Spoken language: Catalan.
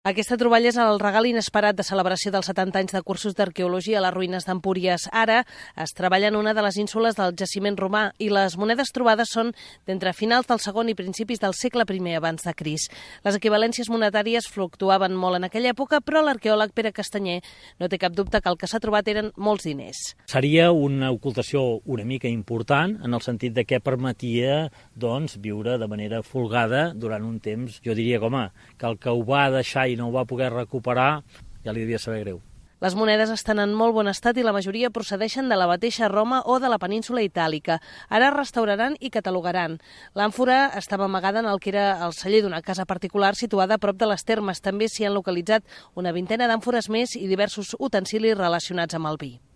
Aquesta troballa és el regal inesperat de celebració dels 70 anys de cursos d'arqueologia a les ruïnes d'Empúries. Ara es treballa en una de les ínsules del jaciment romà i les monedes trobades són d'entre finals del segon i principis del segle I abans de Crist. Les equivalències monetàries fluctuaven molt en aquella època, però l'arqueòleg Pere Castanyer no té cap dubte que el que s'ha trobat eren molts diners. Seria una ocultació una mica important en el sentit de que permetia viure de manera folgada durant un temps. Jo diria que el que ho va deixar i no ho va poder recuperar, ja li devia saber greu. Les monedes estan en molt bon estat i la majoria procedeixen de la mateixa Roma o de la península itàlica. Ara es restauraran i catalogaran. L'àmfora estava amagada en el que era el celler d'una casa particular situada a prop de les termes. També s'hi han localitzat una vintena d'àmfores més i diversos utensilis relacionats amb el vi.